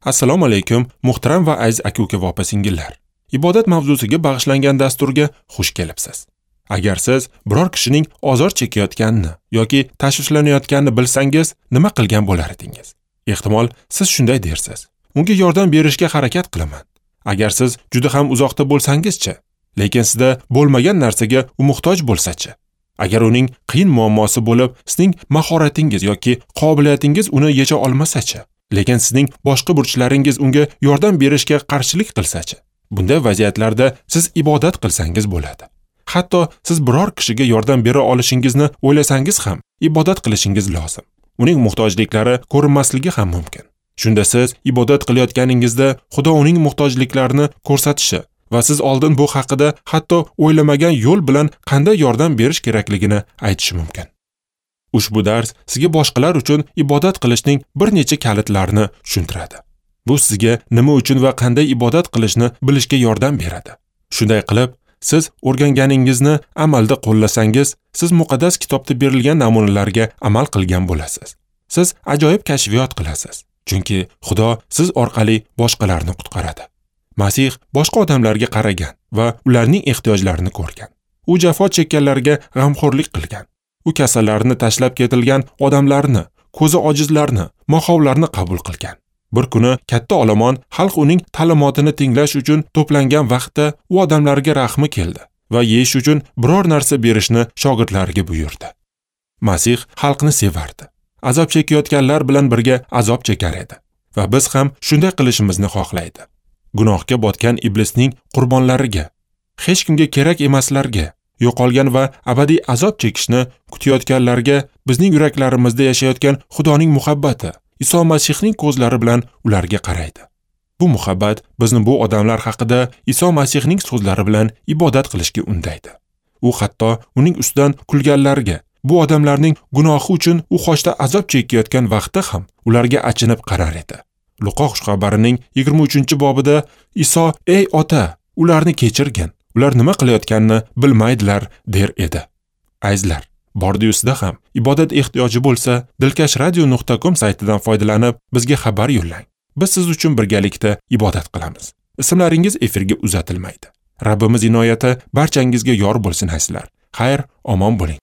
Assalomu alaykum, muhtaram va aziz aka-uka va opa-singillar. Ibodat mavzusiga bag'ishlangan dasturga xush kelibsiz. Agar siz biror kishining ozor chekayotganini yoki tashvishlanayotganini bilsangiz, nima qilgan bo'lar edingiz? Ehtimol, siz shunday dersiz: unga yordam berishga harakat qilaman. Agar siz juda ham uzoqda bo'lsangizchi, lekin sizda bo'lmagan narsaga u muhtoj bo'lsa-chi? Agar uning qiyin muammosi bo'lib, sizning mahoratingiz yoki qobiliyatingiz uni yecha olmasa-chi? Lekin sizning boshqa burchlaringiz unga yordam berishga qarshilik qilsa-chi? Bunday vaziyatlarda siz ibodat qilsangiz bo'ladi. Hatto siz biror kishiga yordam bera olishingizni o'ylasangiz ham ibodat qilishingiz lozim. Uning muhtojliklari ko'rinmasligi ham mumkin. Shunda siz ibodat qilayotganingizda Xudo uning muhtojliklarini ko'rsatishi va siz oldin bu haqida hatto o'ylamagan yo'l bilan qanday yordam berish kerakligini aytishi mumkin. Ushbu dars sizga boshqalar uchun ibodat qilishning bir necha kalitlarini tushuntiradi. Bu sizga nima uchun va qanday ibodat qilishni bilishga yordam beradi. Shunday qilib, siz o'rganganingizni amalda qo'llasangiz, siz muqaddas kitobda berilgan namunalarga amal qilgan bo'lasiz. Siz ajoyib kashfiyot qilasiz, chunki Xudo siz orqali boshqalarni qutqaradi. Masih boshqa odamlarga qaragan va ularning ehtiyojlarini ko'rgan. U jafo chekkanlarga g'amxo'rlik qilgan. U kasallarni, tashlab ketilgan odamlarni, ko'zi ojizlarni, mohovlarni qabul qilgan. Bir kuni katta olomon xalq uning ta'limotini tinglash uchun to'plangan vaqtda u odamlarga rahmi keldi va yeyish uchun biror narsa berishni shogirdlariga buyurdi. Masih xalqni sevardi. Azob chekayotganlar bilan birga azob chekar edi va biz ham shunday qilishimizni xohlaydi. Gunohga botgan iblisning qurbonlariga, hech kimga kerak emaslarga, yo'qolgan va abadiy azob chekishni kutayotganlarga bizning yuraklarimizda yashayotgan Xudoning muhabbati Iso Masihning ko'zlari bilan ularga qaraydi. Bu muhabbat bizni bu odamlar haqida Iso Masihning so'zlari bilan ibodat qilishga undaydi. U hatto uning ustidan kulganlarga, bu odamlarning gunohi uchun u xochda azob chekayotgan vaqtda ham ularga achinib qarar edi. Luqo xushxabarining 23-bobida Iso: "Ey ota, ularni kechirgin. Ular nima qilayotganini bilmaydilar" der edi. Azizlar, bordi-yusida ham ibodat ehtiyoji bo'lsa, dilkashradio.com saytidan foydalanib bizga xabar yo'llang. Biz siz uchun birgalikda ibodat qilamiz. Ismlaringiz efirga uzatilmaydi. Rabbimiz inoyati barchangizga yor bo'lsin azizlar. Xayr, omon bo'ling.